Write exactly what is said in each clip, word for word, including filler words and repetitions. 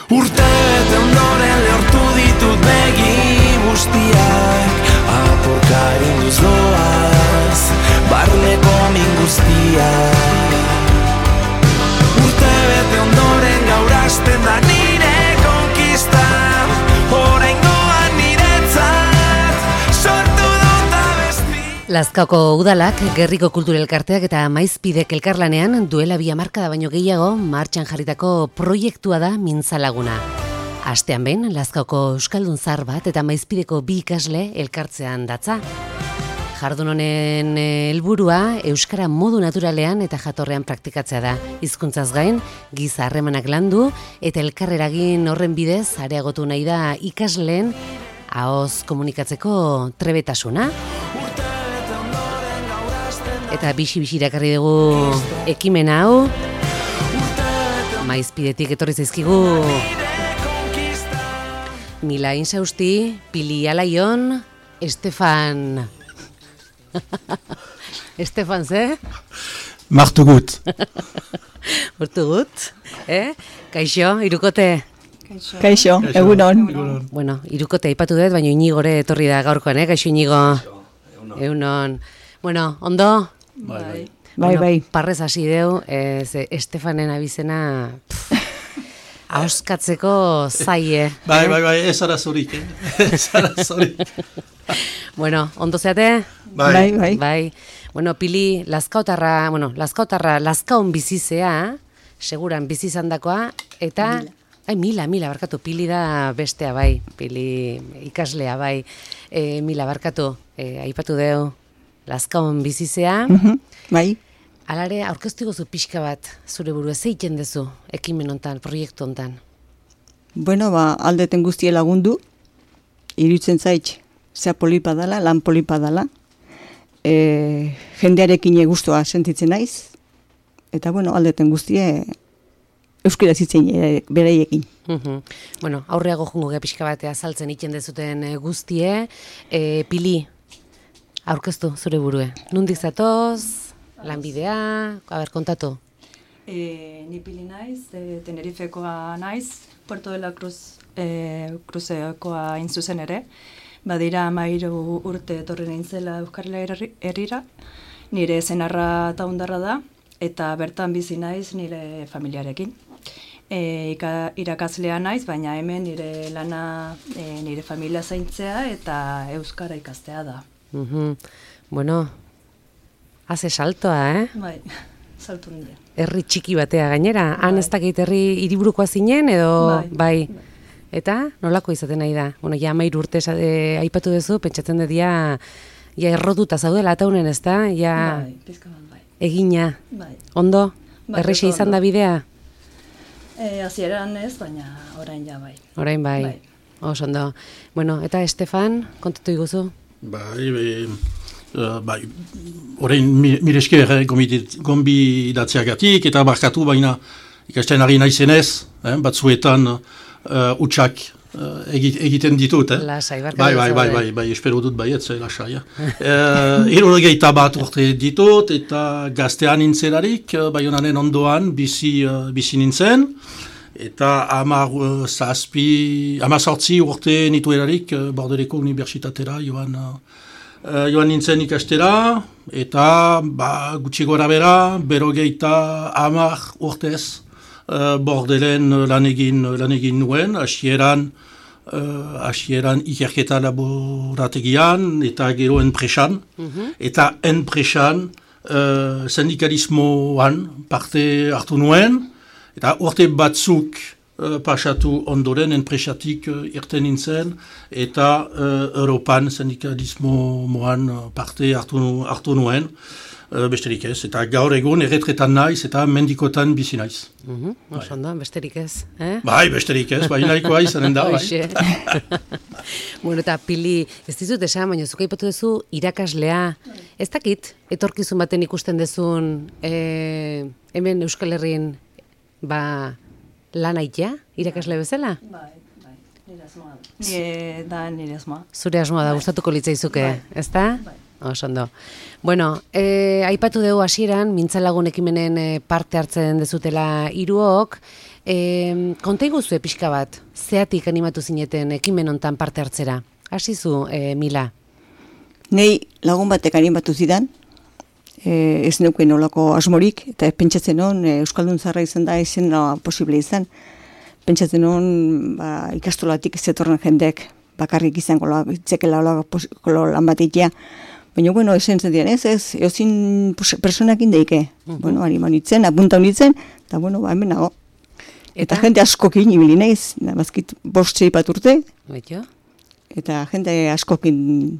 Urte bete ondoren lehortu ditut begi guztiak, apurka erinduz doaz, barneko min guztiak. Urte bete ondoren gaur hasten da nire konkista, oraingoan niretzat sortu dut abesti. Lazkaoko udalak, Gerriko Kulturelkarteak eta Maizpidek elkarlanean duela bi hamarkada baino gehiago martxan jarritako proiektua da Mintzalaguna. Astean behin, Lazkaoko euskaldun zahar bat eta Maizpideko bi ikasle elkartzean datza. Jardun honen helburua euskara modu naturalean eta jatorrean praktikatzea da. Hizkuntzaz gain, giza harremanak landu eta elkarreragin horren bidez areagotu nahi da ikasleen ahoz komunikatzeko trebetasuna. Eta bixi-bixi irakarri dugu ekimen hau. Maizpidetik etorri zaizkigu Mila Insausti, Pili Alaion, Estefan... Estefan, ze? Martu gut. Martu gut, eh? Kaixo, Irukote? Kaixo, Kaixo egunon. Bueno, Irukote aipatu dut, baina Iñigore etorri da gaurkoan, eh? Kaixo, Iñigo. Egunon. Bueno, ondo? Bai, bai. Bueno, bai. Parrez hasi deu, eh, Estefanen abizena... Auskatzeko zaie. Bai, bai, bai, ez arazorik, eh? Ez arazorik. Bueno, ondo zeate? Bai. Bai, bai. Bai. Bueno, Pili, Lazkaotarra, bueno, Lazkaotarra, Lazkaon bizizea, seguran bizi izandakoa eta... Mila. Ai, Mila, Mila, barkatu, Pili da bestea, bai. Pili ikaslea, bai. E, Mila, barkatu, e, aipatu deu, Lazkaon bizizea. Uh-huh. Bai. Alare, aurkeztu gozu pixka bat, zure buru, ez egiten dezu, ekimen hontan, proiektu hontan? Bueno, ba, aldeten guztie lagundu, iruditzen zait, zea polipa dala, lan polipa dala, e, jendearekin guztua sentitzen naiz, eta bueno, aldeten guztie euskara zitzen bereiekin. Uh-huh. Bueno, aurreago jungo gea pixka batea azaltzen egiten dezuten guztie, e, Pili, aurkeztu zure burue, nundik zatoz? Lanbidea, haber, kontatu. E, ni Pili naiz, e, Tenerifekoa naiz, Puerto de la Cruz e, Cruzekoa intzuzen ere. Badira amairu urte etorri nintzela Euskarela herrira, nire zenarra taundarra da, eta bertan bizi naiz nire familiarekin. E, ika, irakaslea naiz, baina hemen nire lana e, nire familia zaintzea eta Euskara ikastea da. Uh-huh. Bueno... Haze saltoa, eh? Bai, saltu nire. Herri txiki batea gainera, bai. Han ez dakit herri hiriburukoa zinen edo bai. bai. Eta nolako izaten nahi da? Bueno, ja amairu urte e, aipatu duzu, pentsatzen dut ja, ja errotuta zaudela ataunen, ez da? Ja bai, pizka bat, bai. Egina. Bai. Ondo? Bai, Erreixa izan da bidea? E, Hasieran ez, baina orain ja bai. Orain bai. Bai. Oso ondo. Bueno, eta Estefan, kontatu iguzu? Bai, bai. Uh, bai, orain miresker eh, gombidatzeagatik eta barkatu baina ikasten ari naizenez, eh, batzuetan uh, utxak uh, egiten ditut. Eh? Lasai, barkatu. Bai, bai, bai, bai, bai, espero dut baietze, lasai. Eh? Hirurogeita bat urte ditut eta gaztean nintzelarik, uh, Baionaren ondoan bizi, uh, bizi nintzen. Eta hamar uh, zazpi, hamar sortzi urte nituelarik uh, Bordeleko Unibertsitatera joan... Uh, Uh, joan nintzen ikastera, eta ba, gutxi gora bera, berogeita hamar urtez uh, Bordelen lan egin, lan egin nuen, hasieran uh, hasieran ikerketa laborategian, eta gero enpresan, mm-hmm. eta enpresan uh, sindikalismoan parte hartu nuen, eta urte batzuk Uh, pasatu ondoren enpresatik uh, irten nintzen eta uh, Europan sindikalismo moan uh, parte hartu, hartu nuen, uh, besterik ez. Eta gaur egun erretretan naiz eta mendikotan bizi naiz. Mm-hmm. Bai. Oso besterik ez, eh? Bai, besterik ez, bai nahikoa izanen da, bai. Bueno, eta Pili, ez dizut esan, baina zuka ipatu duzu irakaslea. Ez dakit, etorkizun baten ikusten dezun eh, hemen Euskal Herrin, ba... Lan aitea, irakasle bezala? Bai, bai, nire asmoa da. Nire da, nire asmoa. Zure asmoa da, gustatuko litzaizuke, bai. Ez da? Bai. Oso ondo. Bueno, e, aipatu dugu hasieran, Mintzalagun ekimenen parte hartzen dezutela hiruok, E, konta iguzue pixka bat, zeatik animatu zineten ekimen hontan parte hartzera? Hasi zu, e, Mila? Nei lagun batek animatu zidan, e, ez neuken olako asmorik, eta pentsatzen hon, e, Euskaldun Zaharra izan da, ezin da posible izan. Pentsatzen hon, ba, ikastolatik zetorren jendek, bakarrik izango itzekela olako lan bat itea. Baina, bueno, esen zen ez, ez, eozin personak indeike. Uh -huh. Bueno, animan itzen, apunta honitzen, eta, bueno, ba, hemen nago. Eta, eta jente askokin ibili naiz, bazkit bost zeipat urte. Betio? Eta jente askokin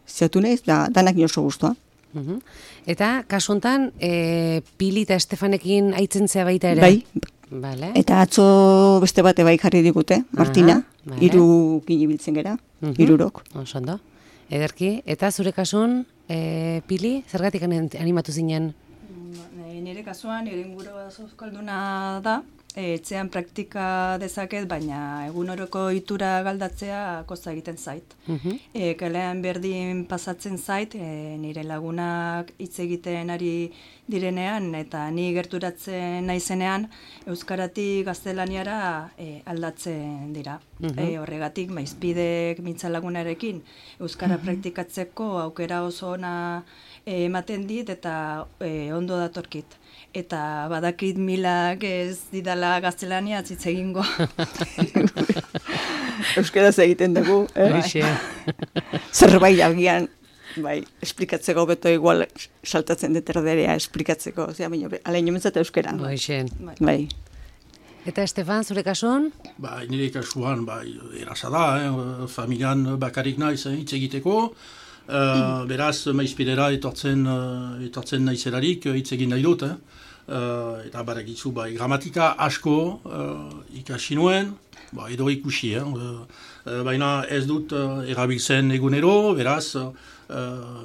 zeatu naiz, da, danak oso guztua. Uh -huh. Eta, kasu honetan, e, Pili eta Estefanekin aitzen zea baita ere? Bai. Vale. Eta atzo beste bate bai jarri digute, Martina, Aha, vale. Hiru ginibiltzen gera, uh -huh. Hirurok. Oso ondo. Ederki, eta zure kasun, e, Pili, zergatik animatu zinen? Nire kasuan, nire ingurua euskalduna da, etxean praktika dezaket, baina egunoroko itura galdatzea kosta egiten zait. Uh-huh. E, kalean berdin pasatzen zait, e, nire lagunak hitz egiten ari direnean, eta ni gerturatzen naizenean, euskaratik gaztelaniara e, aldatzen dira. Uh-huh. E, horregatik, maizpidek mintza lagunarekin, euskara uh-huh. praktikatzeko aukera oso ona e, ematen dit, eta e, ondo datorkit. Eta badakit Milak ez didala gaztelania hitz egingo. Euskaraz egiten dugu, eh? Zerbait agian, bai, esplikatzeko beto igual saltatzen deterderea esplikatzeko, osea, baina alaino mentzat euskera. Baixen. Bai. Eta Estefan, zure kasuan? Bai, nire kasuan, bai, erasa da, eh? Familian bakarrik naiz hitz egiteko. Uh, beraz, maizpidera etortzen, uh, etortzen naizerarik hitz egin nahi dut, eh? Uh, eta baragizu, bai, gramatika asko uh, ikasi nuen, ba, edo ikusi, eh? uh, uh, baina ez dut uh, erabiltzen egunero, beraz, uh,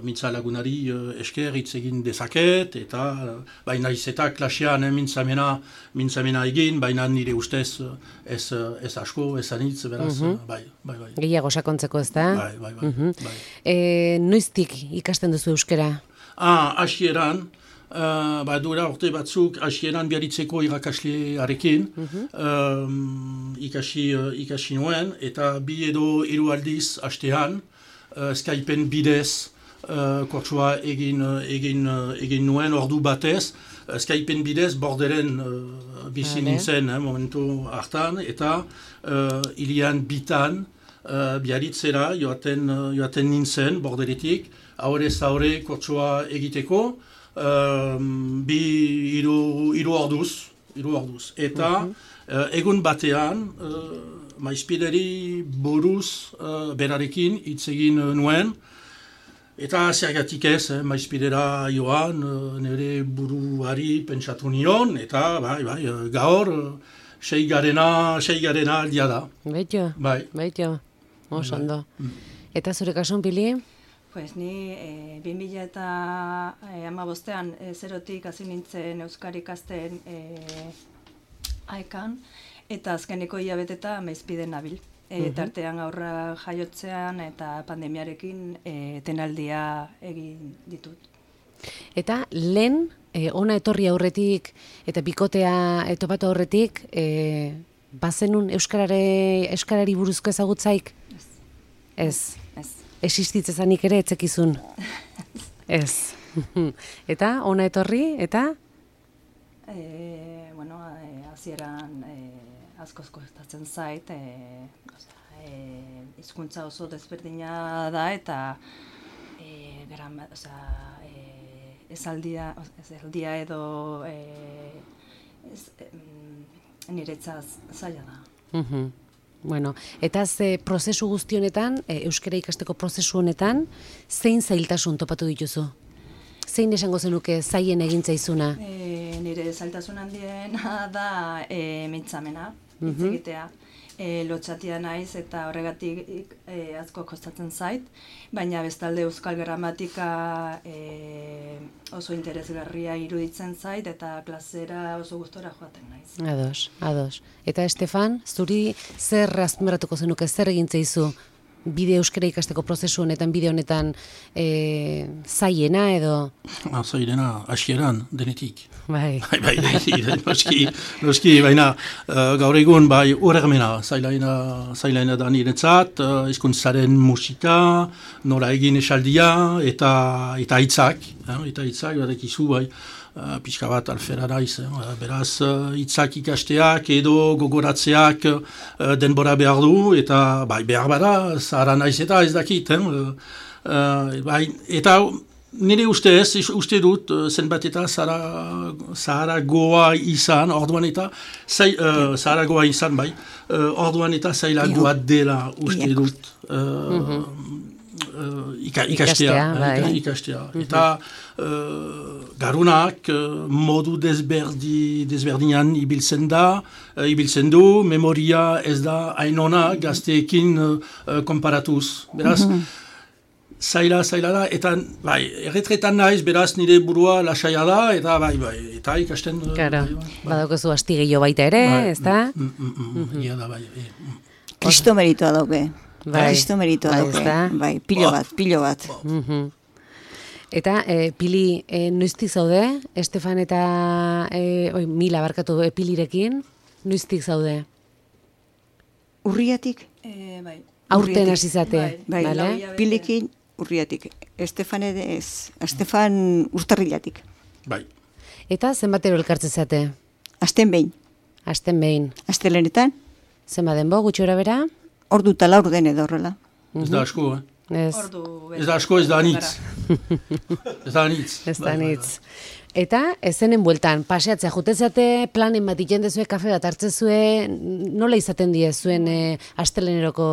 mintza lagunari uh, esker hitz egin dezaket, eta uh, baina iz eta klasean eh, mintzamena, mintzamena egin, baina nire ustez uh, ez, uh, ez asko, ez anitz, beraz, uh-huh. uh, bai, bai, bai. Gehiago sakontzeko ez da? Bai, bai, bai. Uh-huh. bai. E, noiztik ikasten duzu euskera? Ah, hasieran, Uh, ba, dura orte batzuk hasieran biaritzeko irakaslearekin uh-huh. um, ikasi, uh, ikasi nuen, eta bi edo hiru aldiz hastean uh, Skypen bidez uh, kurtsua egin, uh, egin, uh, egin nuen ordu batez, uh, Skypen bidez borderen uh, bizi vale. nintzen eh, momentu hartan, eta uh, ilian bitan uh, biaritzera joaten, uh, joaten nintzen borderetik, aurrez aurre kurtsua egiteko, Um, bi hiru hiru orduz, hiru orduz. Eta uh-huh. uh, egun batean uh, maizpideri buruz uh, berarekin hitz egin nuen, eta zergatik ez, eh, maizpidera joan, uh, nire buruari pentsatu nion, eta bai, bai, uh, gaur uh, seigarena, seigarena aldia da. Baito, bai. baito, oso ondo. Mm. Eta zure kasun, Pili? Pues ni e, bi mila eta hamabostean e, zerotik hasi nintzen euskara ikasten e, aekan, eta azkeneko hilabeteta maizpiden nabil. E, uh-huh. Tartean aurra jaiotzean eta pandemiarekin e, tenaldia egin ditut. Eta lehen, e, ona etorri aurretik eta bikotea etopatu aurretik, e, bazenun euskarare, euskarari buruzko ezagutzaik? Ez. Ez. Ez. Existitzezanik ere etzekizun. Ez. Eta, ona etorri, eta? E, bueno, hasieran e, askoz kostatzen zait, e, e, hizkuntza oso desberdina da, eta e, grama, oza, e, esaldia, esaldia edo e, ez, e, niretzaz zaila da. Uh-huh. Bueno, eta ze prozesu guzti honetan, e, euskara ikasteko prozesu honetan, zein zailtasun topatu dituzu? Zein esango zenuke zaien egin zaizuna? E, nire zailtasun handiena da e, mintzamena, hitz uh-huh. egitea. E, lotxatia naiz eta horregatik e, asko kostatzen zait, baina bestalde euskal gramatika e, oso interesgarria iruditzen zait eta klasera oso gustora joaten naiz. Ados, ados. Eta Estefan, zuri zer azpimarratuko zenuke, zer egin zaizu bide euskara ikasteko prozesu honetan, bide honetan e, zaiena edo? Ah, zailena, hasieran, denetik. Bai. Bai, bai, bai, noski, noski, baina uh, gaur egun bai urermena, zailaina, zailaina da niretzat, uh, hizkuntzaren musika, nola egin esaldia, eta eta hitzak, eh, eta hitzak, badekizu bai, uh, pixka bat alfera naiz, eh, beraz uh, hitzak ikasteak edo gogoratzeak uh, denbora behar du, eta bai, behar bada, zahara naiz eta ez dakit, eh, uh, bai, eta nire ustez, uste dut, zenbat eta zahara goa izan, orduan eta, zai, uh, zahara goa izan, bai, uh, orduan eta zailagoa dela uste dut, uh, mm-hmm. uh, ika, ikastea, ikastea, bai. ikastea. Mm-hmm. Eta uh, garunak uh, modu desberdi, desberdinan ibiltzen da, uh, ibiltzen du, memoria ez da hainona gazteekin uh, konparatuz, beraz, mm-hmm. Zaila, zaila da, eta bai, erretretan naiz, beraz nire burua lasaia da, eta bai, bai, eta ikasten... Claro, bai, bai. Badaukazu asti gehiago baita ere, bai, ez da? Mm, mm, mm, mm, ia da, bai. Mm. Kristo meritoa dauke. Bai, Kristo meritoa bai, dauke. ezta? Bai, pilo bat, pilo bat. Mhm. Eta, e, Pili, e, noiztik zaude? Estefan eta e, oi, Mila barkatu e, Pilirekin, noiztik zaude? Urriatik? E, bai. Aurten hasi zate, Bai, bale? Pilikin urriatik. Estefan ez, Estefan urtarrilatik. Bai. Eta zenbatero elkartzen zate? Asten behin. Asten behin. Astelenetan, Zenba denbo, gutxi gora bera? ordu eta laur den edo horrela. Ez da asko, eh? Ez, Ordu Ez da asko, ez da anitz. Ez da anitz. ez da Bai, bai, nitz. Eta, ezenen bueltan, paseatzea, jutezate, planen bat iten dezue, kafe bat hartzezue, nola izaten die zuen e, asteleneroko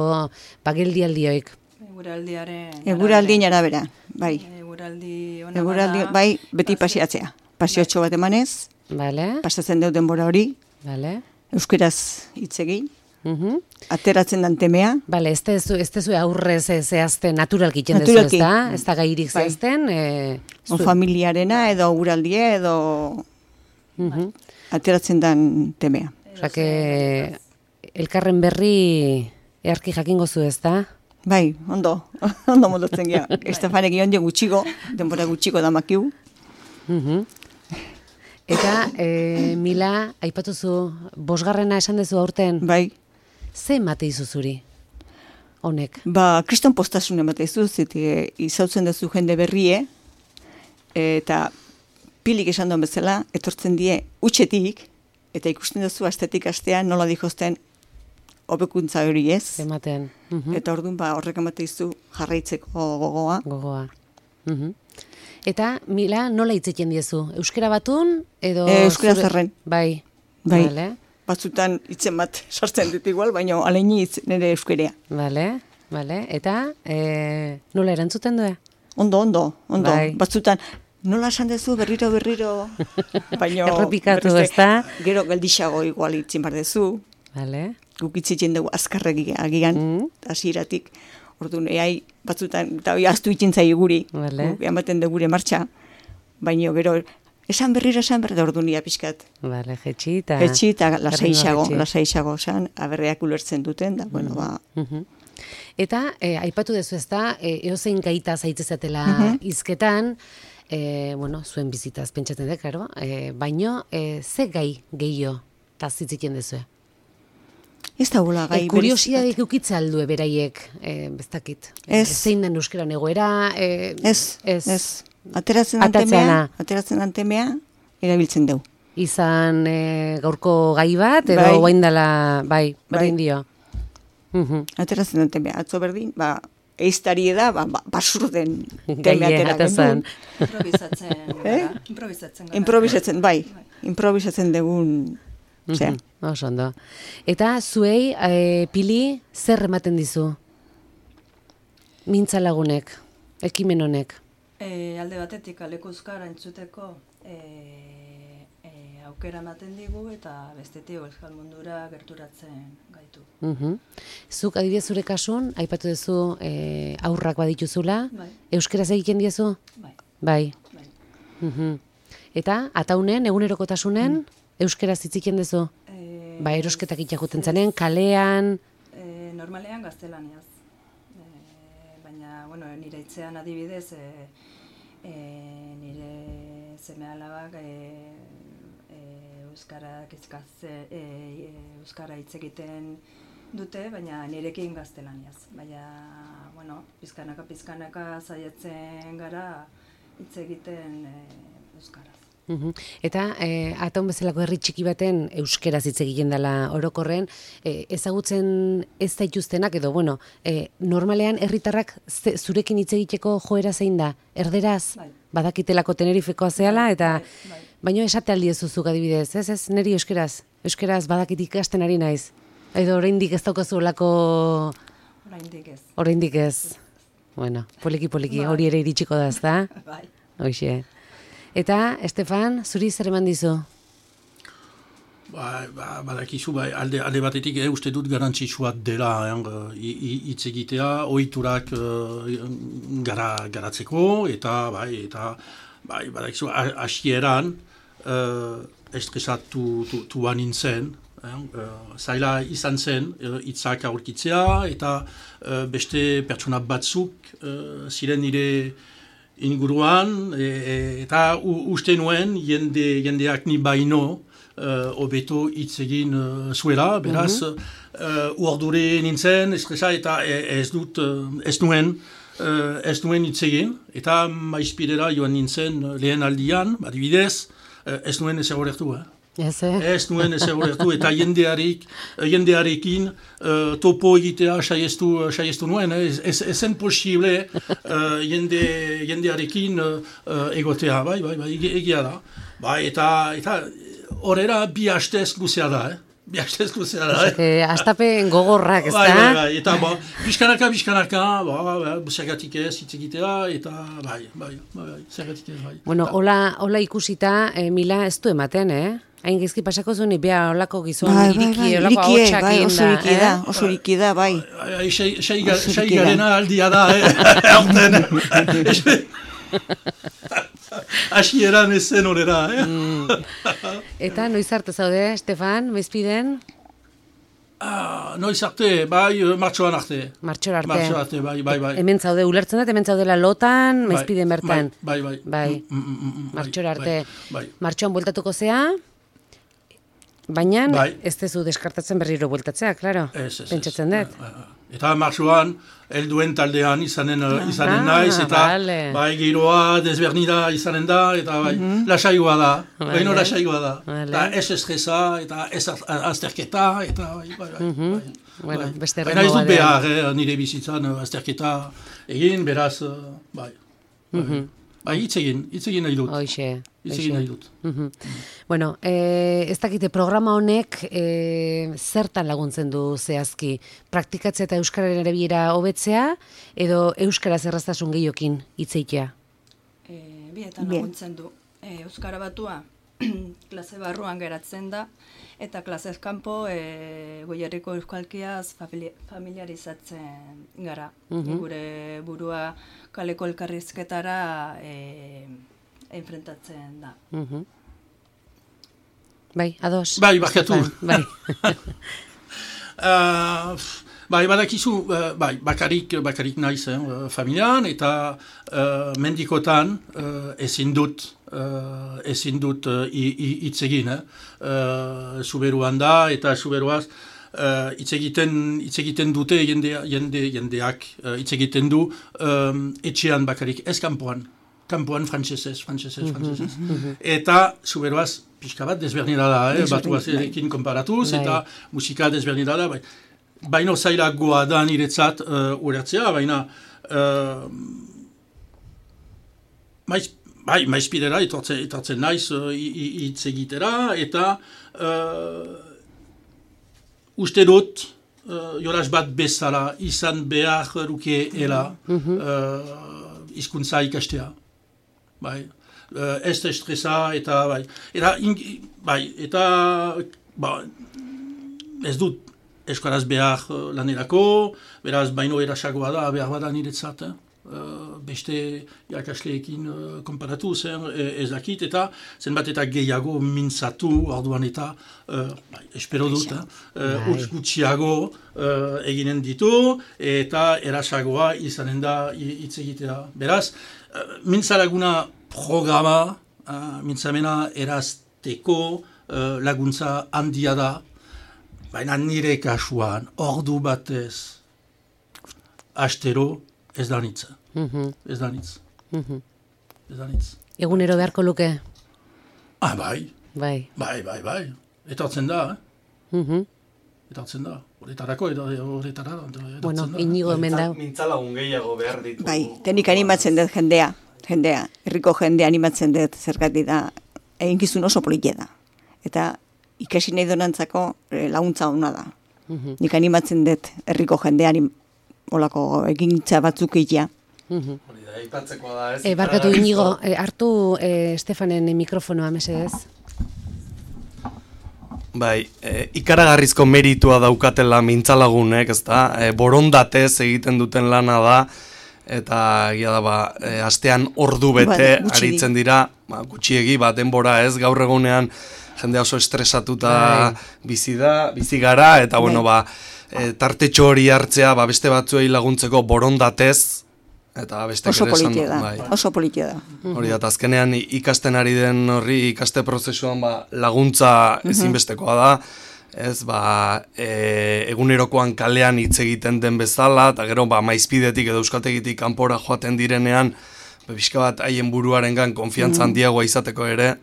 bageldialdioik? Eguraldiaren... Eguraldien arabera, bai. Eguraldi ona Eguraldi, bada, bai, beti paseatzea. Paseotxo bat emanez, Bale, pasatzen dut denbora hori, bale. euskeraz hitz egin, Mhm. ateratzen dan temea, Bale, ez tezu, ez tezu aurrez e, zehazten naturalki iten dezu, Naturalki. ez da? Ez da gairik Bai. zehazten. E, o familiarena edo eguraldia edo Mhm. ateratzen dan temea. Osa, que elkarren berri earki jakingo zu, ez da? Bai, ondo, ondo modotzen gira. Estefanek ion dio gutxiko, denbora gutxiko da makiu. Mhm. Eta, e, Mila, aipatuzu, bosgarrena esan dezu aurten, Bai, ze emate izu zuri? Honek. ba, kriston postasun emate izu, ziti izautzen duzu jende berrie, eta Pilik esan duen bezala, etortzen die utxetik, eta ikusten duzu astetik astean nola dihozten hobekuntza hori ez. Ematen. Mhm. Eta orduan ba, horrek emate izu jarraitzeko gogoa. Gogoa. Mhm. Eta, Mila, nola hitz egiten diezu? Euskera batun, edo... E, euskera zure- zarren. Bai. Bai. Vale, Batzutan hitzen bat sartzen dut igual, baina aleini hitz nire euskerea. vale, vale. Eta, e, nola erantzuten du? Ondo, ondo, ondo. Bai. Batzutan, nola esan dezu berriro, berriro, baina... Errepikatu, berriz, ezta? Gero geldixago igual hitzin bar dezu, Vale. guk hitzitzen dugu azkarregi agian, Mm. hasieratik. Orduan, eai, batzutan, eta hoi aztu itzen zai guri, Vale. guk ematen dugu gure martxa, baina gero, esan berriro, esan berriro, orduan ia pixkat. Vale, jetxi eta... Etxi eta lasaixago, jetxi. lasaixago, esan, aberreak ulertzen duten, da, bueno, ba, Mhm. Eta, e, aipatu dezu ez da, e, eozein gaita zaitzezatela Mhm. hizketan, e, bueno, zuen bizitaz pentsatzen dut, karo, e, baino, e, ze gai gehiago tazitziten dezu? ez da gula gai E, kuriosidadek eukitza aldue beraiek, e, bestakit. Ez. Zein den euskeran egoera, e, Ez, ez, ez. Ateratzen dan Atatzeana. temea, ateratzen dan temea, erabiltzen dugu. izan e, gaurko gai bat, edo Bai. oaindala, bai, berdin Bai. dio. Mhm. Ateratzen den temea. Atzo berdin, ba, eiztari da, ba, ba, basur den teme Gaie atera atazan. genuen. Improvisatzen Eh? gara. Improvisatzen gara. Improvisatzen, bai. Improvisatzen dugun, zera. Mhm, oso ondo. Eta zuei, e, Pili, zer ematen dizu? Mintza lagunek, ekimen honek. E, alde batetik aleko euskara entzuteko e, e, aukera ematen digu eta bestetik euskal mundura gerturatzen gaitu. Mhm. Zuk adibidez zure kasun, aipatu duzu e, aurrak badituzula, Bai. euskeraz egiten diezu? Bai, Bai. bai. Mhm. Eta, ataunen, egunerokotasunen, euskeraz hitziken duzu? E, Ba, erosketak itxakuten zanen, kalean, e, normalean gaztelaniaz. E, baina, bueno, nire itzean adibidez, e, e, nire seme alabak e, e, euskarak izkatze, e, e, euskara hitz egiten dute, baina nirekin gaztelaniaz. Baina, bueno, pizkanaka pizkanaka saiatzen gara hitz egiten e, euskaraz. Uhum. Eta e, Ataun bezalako herri txiki baten euskeraz hitz egiten dela orokorren, e, ezagutzen ez daituztenak edo, bueno, e, normalean herritarrak ze, zurekin hitz egiteko joera zein da? Erderaz, Bai. badakitelako Tenerifekoa zehala, eta Bai, bai. baino esate aldi ez duzuk adibidez, ez ez, neri euskeraz, euskeraz badakit ikasten ari naiz. Edo oraindik ez daukazu olako... Oraindik ez. Oraindik ez. Bueno, poliki poliki, Bai. hori ere iritsiko da, ezta? Bai. Hoxe. Eta, Estefan, zuri zer eman dizu? Ba, ba, badakizu, ba, alde, alde batetik eh, uste dut garantzitsua dela hitz eh, egitea, ohiturak eh, gara, garatzeko, eta bai, eta bai, badakizu, hasieran eh, estresatu tu, tuan nintzen, eh, zaila izan zen hitzak aurkitzea, eta eh, beste pertsona batzuk eh, ziren nire inguruan, e, e, eta u, uste nuen jende, jendeak ni baino hobeto uh, hitz egin uh, zuela, beraz, mm-hmm. uh, urdure nintzen, estresa, eta ez dut, uh, ez nuen, uh, ez nuen hitz egin, eta maizpidera joan nintzen lehen aldian, adibidez, uh, ez nuen ez egolertu, eh? Ez, eh? Ez nuen ez egolertu, eta jendearik, jendearekin uh, topo egitea saiestu, saiestu nuen, eh? ez, ez zen posible uh, jende, jendearekin uh, egotea, bai, bai, bai, egia da. Bai, eta, eta horrela bi hastez luzea da, eh? Bi hastez luzea da, eh? Astapen gogorrak, ez da? Bai, bai, bai, eta ba, bizkanaka, bizkanaka, ba, ba, zergatik ez hitz egitea, eta bai, bai, bai, zergatik ez, bai. Bueno, hola, hola ikusita, eh, Mila ez du ematen, eh? Hain gizki pasako zuen, bea holako gizon, bai, iriki, bai, bai, holako irikie, hotxak bai, inda, oso iriki da, eh? oso iriki da, bai. Sei garena aldia da, eh? Horten, hasieran ez zen horera, eh? Mm. Eta noiz arte zaude, Estefan, maizpiden? Ah, noiz arte, bai, martxoan arte. Martxor arte. Martxoan arte, bai, bai, bai. Hemen zaude, ulertzen dut, hemen zaudela lotan, maizpiden bertan. Bai, bai, bai. Bai, Mm, mm, mm, mm, martxor bai, arte. Bai, bai. Martxoan bueltatuko zea, baina Bai. ez dezu deskartatzen berriro bueltatzea, klaro. Ez, ez, ez. Pentsatzen dut. Bai, bai. Eta martxoan, helduen taldean izanen, izanen Ah, naiz, eta vale. bai, giroa desberdina izanen da, eta bai, lasaigoa da, Vale. baino lasaigoa da. Vale. Eta ez estresa, eta ez azterketa, eta bai, bai, bai. bai. Bueno, Bai. beste Baina ez erritmo dut batean. behar, eh, nire bizitzan eh, azterketa egin, beraz, eh, bai. Bai, bai, hitz egin, hitz egin nahi dut. Hoxe, Hitz hoxe. egin nahi dut. Mhm. Bueno, eh, ez dakite programa honek eh, zertan laguntzen du zehazki? Praktikatzea eta euskararen erabilera hobetzea edo euskaraz erraztasun gehiokin hitz egitea? E, bietan Bien. laguntzen du. E, Euskara batua klase barruan geratzen da, eta klasez kanpo e, goierriko euskalkiaz famili- familiarizatzen gara. Gure burua kaleko elkarrizketara e, enfrentatzen da. Mhm. Bai, ados. Bai, barkatu. Bai. Uh, bai, badakizu, uh, bai, bakarik, bakarik naiz, eh, familian, eta uh, mendikotan uh, ezin dut, uh, ezin dut uh, hitz egin, eh? uh, zuberuan da, eta zuberuaz, uh, hitz egiten, hitz egiten dute jende, jende, jendeak, uh, hitz egiten du um, etxean bakarik, ez kanpoan. Kanpoan frantsesez, frantsesez, frantsesez. Eta zuberoaz pixka bat desberdina da, eh? Batuazerekin konparatuz, Bai. eta musika desberdina da. Bai. Baina zailagoa da niretzat uh, ulertzea, baina uh, maiz, bai, maizpidera etortzen, etortzen naiz uh, hitz egitera, eta uh, uste dut uh, jolas bat bezala izan behar lukeela uh, hizkuntza ikastea. Bai, uh, ez estresa, eta bai, eta, in, bai, eta ba, ez dut euskaraz behar uh, lanerako, beraz, baino erasagoa da, behar bada niretzat, eh? uh, beste irakasleekin uh, konparatu zen ez dakit, eta zenbat eta gehiago mintzatu orduan eta uh, bai, espero dut, uh, utz gutxiago uh, eginen ditu, eta erasagoa izanen da hitz egitea. Beraz, uh, mintzalaguna programa, uh, mintzamena erazteko uh, laguntza handia da, baina nire kasuan, ordu batez, astero, ez da nitz. Mm-hmm. Ez da nitz. Mm-hmm. Ez da nitz. Egunero beharko luke? Ah, bai. Bai. Bai, bai, bai. Etortzen da, eh? Mm-hmm. Etortzen da. Horretarako, horretara. Bueno, inigo hemen da. Mintzalagun gehiago behar ditu. Bai, tenik animatzen dut jendea. Jendea, herriko jendea animatzen dut zergatik da. Eginkizun oso politia da. Eta ikasi nahi donantzako laguntza hona da. Mm-hmm. Nik animatzen dut herriko jendea olako egintza batzuk egitea. Hori da, aipatzeko da, ez? E, barkatu inigo, e, hartu e, Estefanen mikrofonoa, mesedez. Bai, e, ikaragarrizko meritua daukatela mintzalagunek, ez da? E, borondatez egiten duten lana da, eta egia da, ba, e, astean ordu bete ba, aritzen dira, ba, gutxiegi, ba, denbora ez, gaur egunean jende oso estresatuta bizi da, bizi gara, eta bueno, ba, e, tartetxo hori hartzea, ba, beste batzuei laguntzeko borondatez, eta beste oso kere esan politia da, bai. Oso politia da. Hori da, azkenean ikasten ari den horri, ikaste prozesuan ba, laguntza ezinbestekoa da, ez, ba, e, egunerokoan kalean hitz egiten den bezala, eta gero, ba, maizpidetik edo euskaltegitik kanpora joaten direnean, ba, bizka bat haien buruarengan konfiantza handiagoa izateko ere.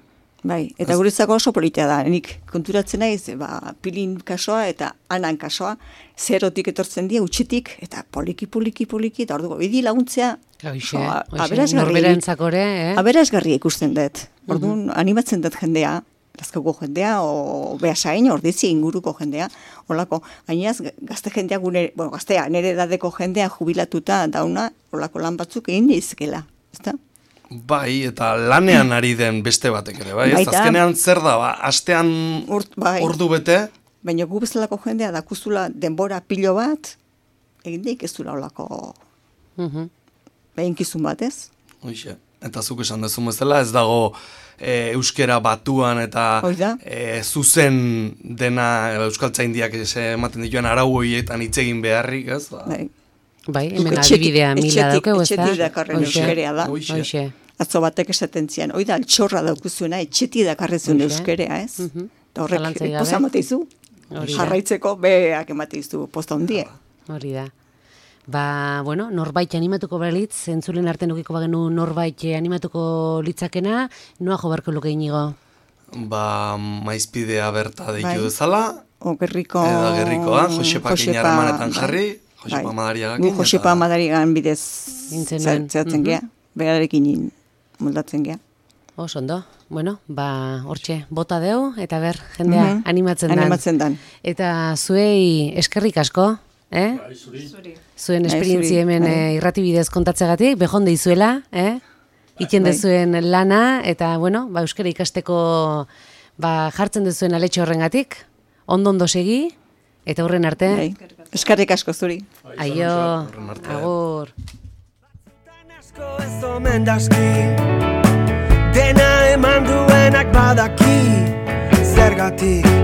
Bai, eta guretzako oso politia da. Nik konturatzen naiz, ba, pilin kasoa eta anan kasoa, zerotik etortzen dira, utxitik, eta poliki, poliki, poliki, eta orduko, bidi laguntzea, Hoxe, aberazgarri eh? aberazgarri ikusten dut. Orduan, uh-huh. animatzen dut jendea, lazkoko jendea, o behasain, ordizi inguruko jendea, olako, gainaz, gazte jendea, gune, bueno, gaztea, nire edadeko jendea jubilatuta dauna, olako lan batzuk egin dizkela, ezta? Bai, eta lanean ari den beste batek ere, bai? Ez azkenean zer da, ba, astean Urt, bai. ordu bete? Baina gu bezalako jendea dakuzula denbora pilo bat, egin daik ez dula olako uh-huh. behinkizun bat, ez? Hoxe, eta zuk esan dezun bezala, ez dago e, euskera batuan eta e, zuzen dena euskaltzaindiak ematen dituen arau horietan hitz egin beharrik, ez? Ba. Bai. Bai, hemen adibidea mila daukeu, ez da? Etxetik dakarren euskerea da. Hoxe. Atzo batek esaten zian, hoi da, altxorra daukuzuena, etxetik dakarrezun euskerea, ez? Uh-huh. Da horrek, poza mateizu, jarraitzeko beak emateizu posta hundie. Hori da. Ba, bueno, norbait animatuko balitz, entzulen artean ukiko bagenu norbait animatuko litzakena, noa jo barko luke inigo? Ba, maizpidea berta deitu dezala. O gerriko... Eda gerrikoa, Josepa Kinaramanetan jarri. Josepa Madariagakin. Gu Josepa Madarigan bidez zeratzen gea, berarekin moldatzen gea. Oso ondo, bueno, ba, hortxe, bota deu, eta ber, jendea mm-hmm. animatzen dan. Animatzen dan. Eta zuei eskerrik asko, eh? Bai, zuri. Zuen esperientzi hemen eh, irratibidez kontatzegatik, behon deizuela, eh? Iken dezuen lana, eta, bueno, ba, euskara ikasteko ba, jartzen dezuen aletxo horrengatik, ondo-ondo segi, eta horren arte. Bai. Eskarrik asko zuri. Aio, agur. Dena eman duenak badaki, zergatik